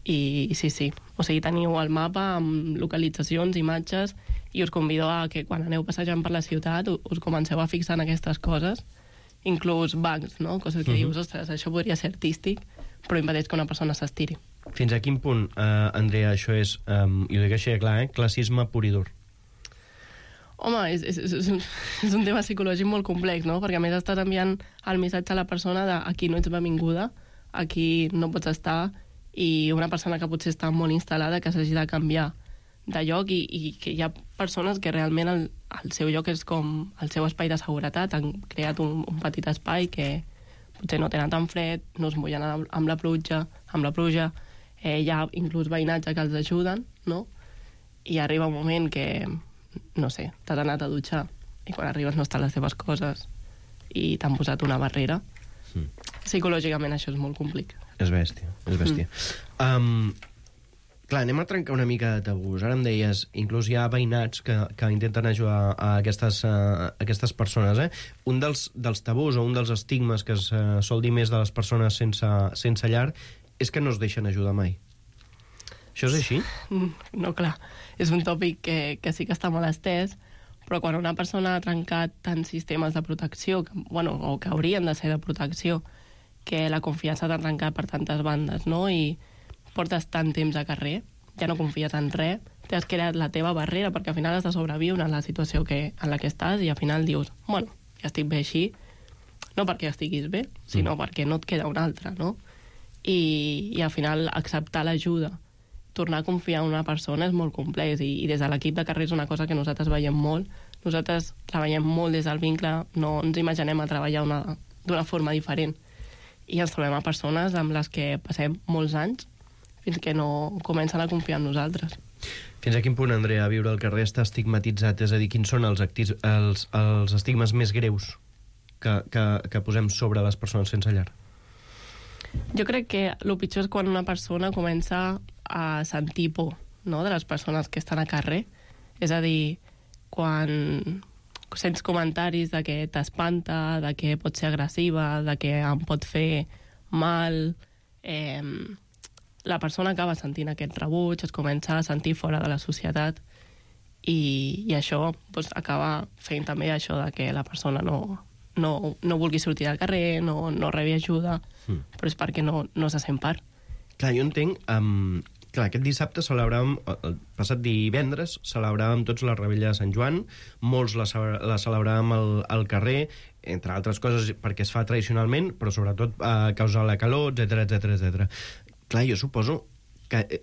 i sí. O sigui, teniu el mapa amb localitzacions, imatges, i us convido a que quan aneu passejant per la ciutat us comenceu a fixar en aquestes coses, inclús bancs, no? Coses que dius, ostres, això podria ser artístic, però impedeix que una persona s'estiri. Fins a quin punt, Andrea, això és, i ho dic així de clar, classisme pur i dur? Home, és un tema psicològic molt complex, no? Perquè a més estàs enviant el missatge a la persona de aquí no ets benvinguda, aquí no pots estar, i una persona que potser està molt instal·lada que s'hagi de canviar de lloc, i que hi ha persones que realment el seu lloc és com el seu espai de seguretat, han creat un petit espai que potser no tenen tan fred, no es mullen amb la pluja, hi ha inclús veïnatge que els ajuden, no? I arriba un moment que, no sé, t'has anat a dutxar i quan arribes no estan les teves coses i t'han posat una barrera. Psicològicament això és molt complicat. És bèstia. Clar, anem a trencar una mica de tabús. Ara em deies, inclús hi ha veïnats que intenten ajudar a aquestes persones. Un dels tabús o un dels estigmes que es sol dir més de les persones sense llar és que no es deixen ajudar mai. Això és així? No, clar. És un tòpic que sí que està molt estès, Però quan una persona ha trencat tants sistemes de protecció, o que haurien de ser de protecció, que la confiança t'ha trencat per tantes bandes, no? I portes tant temps a carrer, ja no confies en res, t'has creat la teva barrera, perquè al final has de sobreviure en la situació en la que estàs, i al final dius, ja estic bé així, no perquè estiguis bé, sinó perquè no et queda una altra, no? I al final acceptar l'ajuda, tornar a confiar en una persona és molt complex, i des de l'equip de carrer és una cosa que nosaltres veiem molt. Nosaltres treballem molt des del vincle, no ens imaginem a treballar d'una forma diferent, i ens trobem a persones amb les que passem molts anys fins que no comencen a confiar en nosaltres. Fins a quin punt, Andrea, viure al carrer està estigmatitzat? És a dir, quins són els estigmes més greus que posem sobre les persones sense llar? Jo crec que el pitjor és quan una persona comença a sentir por, no?, de les persones que estan a carrer. És a dir, quan sents comentaris de que t'espanta, de que pot ser agressiva, de que em pot fer mal, la persona acaba sentint aquest rebuig, es comença a sentir fora de la societat, i això acaba fent també això de que la persona no vulgui sortir del carrer, no rebi ajuda, però és perquè no se sent part. Clar, jo entenc... Clar, aquest dissabte celebràvem, el passat divendres, celebràvem tots la Revetlla de Sant Joan, molts la celebràvem al carrer, entre altres coses perquè es fa tradicionalment, però sobretot a causa de la calor, etc. Clar, jo suposo que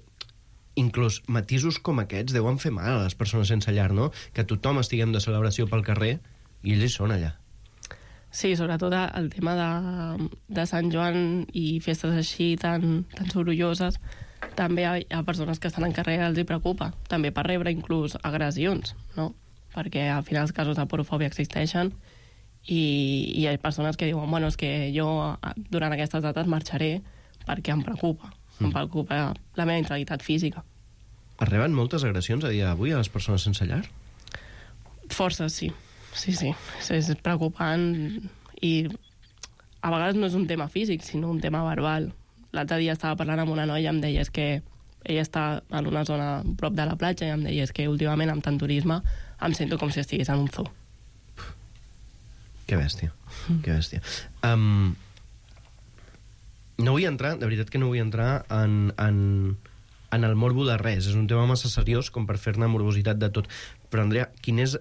inclús matisos com aquests deuen fer mal a les persones sense llar, no? Que tothom estiguem de celebració pel carrer i ells hi són allà. Sí, sobretot el tema de Sant Joan i festes així tan sorolloses, també hi ha persones que estan en carrer, els hi preocupa, també per rebre inclús agressions, no? Perquè al final els casos de porofòbia existeixen, i hi ha persones que diuen, és que jo durant aquestes dates marxaré perquè em preocupa la meva integritat física. Es reben moltes agressions a dia d'avui a les persones sense llar? Forces, sí. Sí. És preocupant, i a vegades no és un tema físic, sinó un tema verbal. L'altre dia estava parlant amb una noia i em deia que ella està en una zona prop de la platja, i em deia que últimament amb tant turisme em sento com si estigués en un zoo. Que bèstia, que bèstia. No vull entrar, de veritat que no vull entrar en el morbo de res. És un tema massa seriós com per fer-ne morbositat de tot. Però, Andrea, quin és,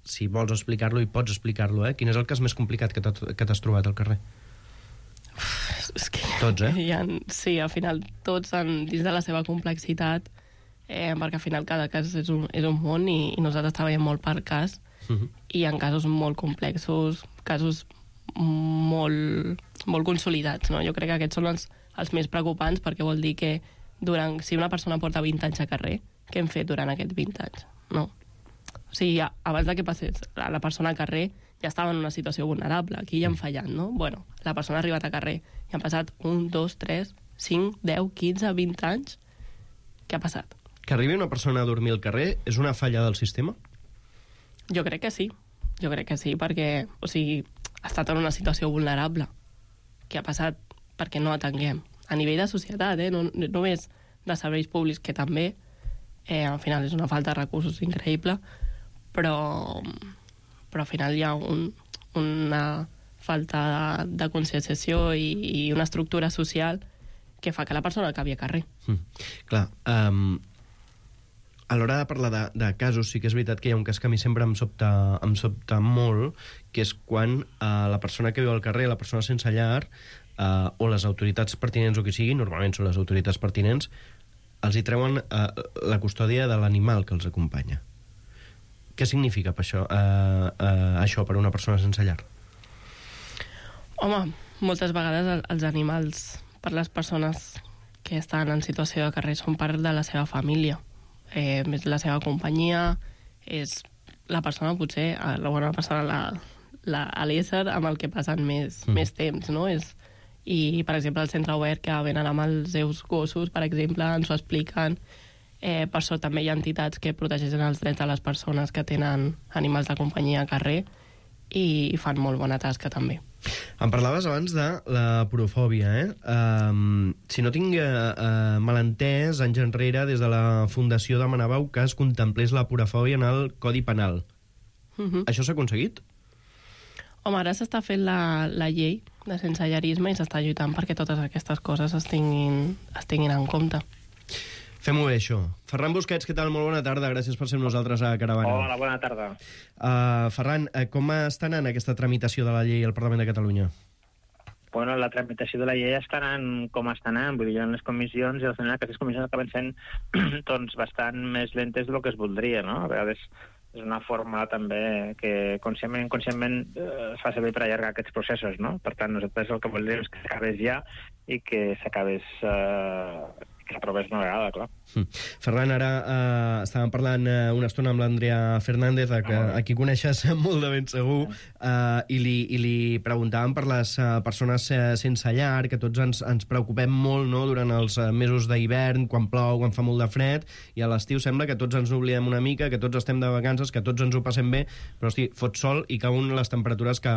si vols explicar-lo i pots explicar-lo, quin és el cas més complicat que t'has trobat al carrer? És que tots, sí, al final tots dins de la seva complexitat, perquè al final cada cas és un món, i nosaltres treballem molt per cas, i en casos molt complexos, casos molt consolidats, no? Jo crec que aquests són els més preocupants, perquè vol dir que si una persona porta 20 anys a carrer, què hem fet durant aquests 20 anys? No. O sigui, abans de que passés la persona al carrer ja estava en una situació vulnerable, aquí ja han fallat, no? La persona ha arribat a carrer i han passat 1, 2, 3, 5, 10, 15, 20 anys. Què ha passat? Que arribi una persona a dormir al carrer és una falla del sistema? Jo crec que sí, perquè ha estat en una situació vulnerable. Què ha passat? Perquè no atenguem. A nivell de societat, no només de serveis públics, que també, al final és una falta de recursos increïble, però al final hi ha una falta de conscienciació i una estructura social que fa que la persona acabi a carrer. Clar, a l'hora de parlar de casos, sí que és veritat que hi ha un cas que a mi sempre em sobta molt, que és quan la persona que viu al carrer, la persona sense llar, o les autoritats pertinents o qui sigui, normalment són les autoritats pertinents, els hi treuen la custòdia de l'animal que els acompanya. Què significa això per una persona sense llar? Home, moltes vegades els animals, per les persones que estan en situació de carrer, són part de la seva família. És la seva companyia, és la persona, potser, l'ésser amb el que passen més temps, no? I, per exemple, el centre obert, que venen amb els seus gossos, per exemple, ens ho expliquen. Per això també hi ha entitats que protegeixen els drets de les persones que tenen animals de companyia a carrer, i fan molt bona tasca, també. Em parlaves abans de la porofòbia, Si no tinc malentès, anys enrere, des de la Fundació demanàveu que es contemplés la porofòbia en el Codi Penal. Això s'ha aconseguit? Home, ara s'està fent la llei de sensellarisme i s'està lluitant perquè totes aquestes coses es tinguin en compte. Fem-ho bé, això. Ferran Busquets, què tal? Molt bona tarda. Gràcies per ser amb nosaltres a Caravana. Hola, bona tarda. Ferran, com està anant aquesta tramitació de la llei al Parlament de Catalunya? Bueno, la tramitació de la llei està anant com està anant. Vull dir, en les comissions, i al final aquestes comissions acaben sent doncs, bastant més lentes del que es voldria, no? A vegades és una forma també que conscientment es fa servir per allargar aquests processos, no? Per tant, nosaltres el que voldríem és que s'acabés ja i que s'acabés... que s'aprovés una vegada, clar. Ferran, ara estàvem parlant una estona amb l'Andrea Fernández, a qui coneixes molt de ben segur, i li preguntàvem per les persones sense llar, que tots ens preocupem molt, no?, durant els mesos d'hivern, quan plou, quan fa molt de fred, i a l'estiu sembla que tots ens n'oblidem una mica, que tots estem de vacances, que tots ens ho passem bé, però hosti, fot sol i cauen les temperatures que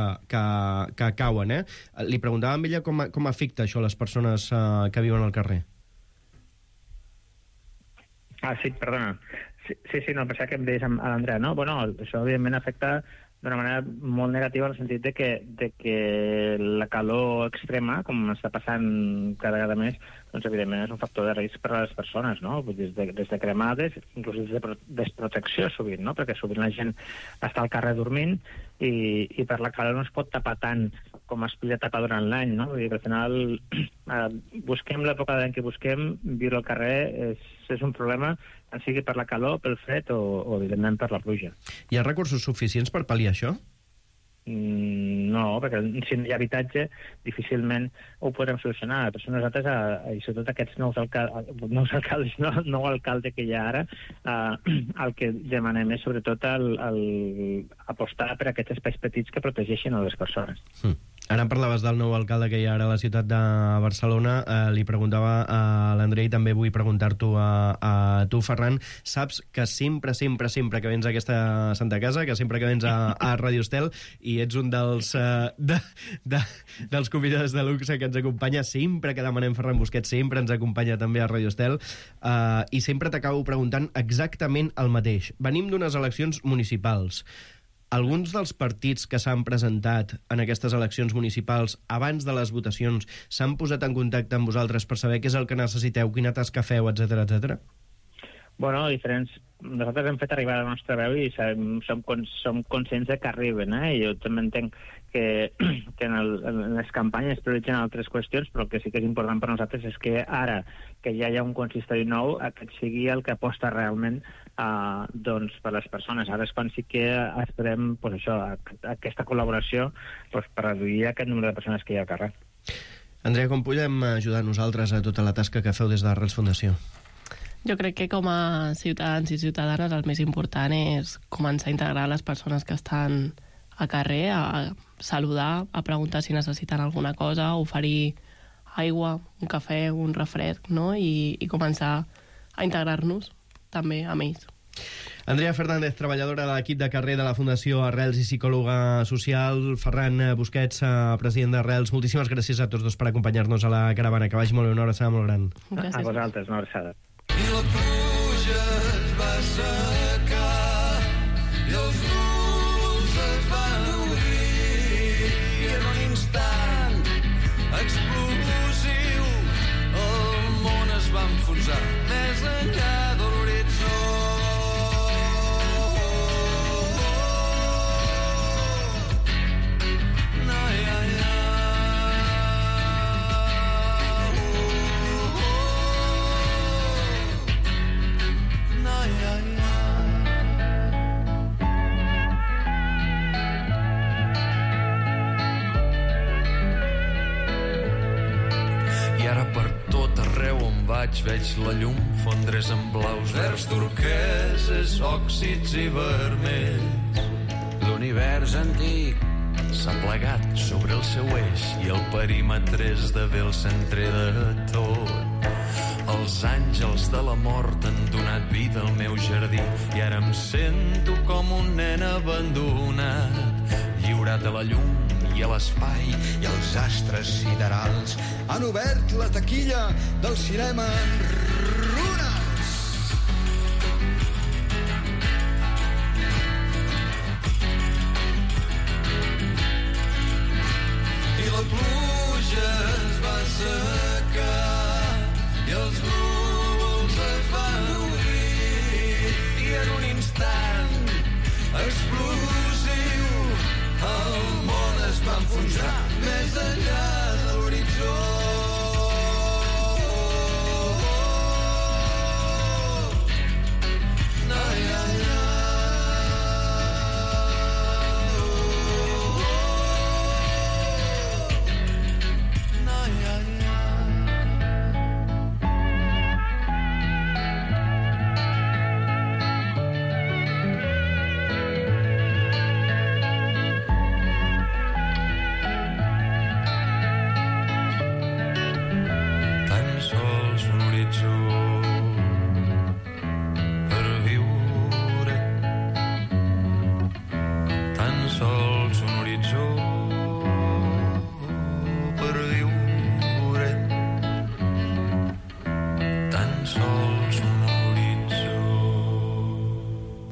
cauen, eh? Li preguntàvem a ella com afecta això a les persones que viuen al carrer. Sí, perdona. Sí, no, pensava que em deies a l'Andrea, no? Bueno, això evidentment afecta d'una manera molt negativa en el sentit de que la calor extrema, com està passant cada vegada més, doncs evidentment és un factor de risc per a les persones, no? Des de cremades, inclús des de desprotecció sovint, no? Perquè sovint la gent està al carrer dormint i per la calor no es pot tapar tant com es podia tapar durant l'any, no? Vull dir que al final busquem l'època de l'any que busquem, viure al carrer és un problema, tant sigui per la calor, pel fred o evidentment per la pluja. Hi ha recursos suficients per pal·liar això? No, perquè si no hi ha habitatge difícilment ho podrem solucionar. Per això nosaltres, i sobretot aquests nou alcalde que hi ha ara, el que demanem és sobretot apostar per aquests espais petits que protegeixin a les persones. Ara em parlaves del nou alcalde que hi ha ara a la ciutat de Barcelona. Li preguntava a l'Andrei, també vull preguntar-t'ho a tu, Ferran. Saps que sempre que vens a aquesta Santa Casa, que sempre que vens a Ràdio Estel, i ets un dels convidats de luxe que ens acompanya, sempre que demanem Ferran Busquets, sempre ens acompanya també a Ràdio Estel, i sempre t'acabo preguntant exactament el mateix. Venim d'unes eleccions municipals. Alguns dels partits que s'han presentat en aquestes eleccions municipals abans de les votacions s'han posat en contacte amb vosaltres per saber què és el que necessiteu, quina tasca feu, etc etc. Bueno, diferents... Nosaltres hem fet arribar la nostra veu i som conscients que arriben, eh? Jo també entenc que en les campanyes prioritzen altres qüestions, però el que sí que és important per nosaltres és que ara que ja hi ha un consistori nou, aquest sigui el que aposta realment doncs, per les persones. Ara és quan sí que esperem pues, això, aquesta col·laboració pues, per reduir aquest número de persones que hi ha al carrer. Andrea, com podem ajudar nosaltres a tota la tasca que feu des d'Arrels Fundació? Jo crec que com a ciutadans i ciutadanes el més important és començar a integrar les persones que estan al carrer, a saludar, a preguntar si necessiten alguna cosa, oferir aigua, un cafè, un refresc, no? I començar a integrar-nos també amb ells. Andrea Fernández, treballadora de l'equip de carrer de la Fundació Arrels i psicòloga social. Ferran Busquets, president d'Arrels. Moltíssimes gràcies a tots dos per acompanyar-nos a la caravana. Que vagi molt bé, una abraçada molt gran. Gràcies. A vosaltres, una abraçada. I la pluja es va secar i els núvols es van obrir i en un instant explosiu el món es va enfonsar més enllà de l'horitzó. Veig la llum fondre's en blaus, verds, turqueses, òxids i vermells. L'univers antic s'ha plegat sobre el seu eix i el perímetre esdevé el centre de tot. Els àngels de la mort han donat vida al meu jardí i ara em sento com un nen abandonat, lliurat a la llum i a l'espai, i els astres siderals han obert la taquilla del cinema en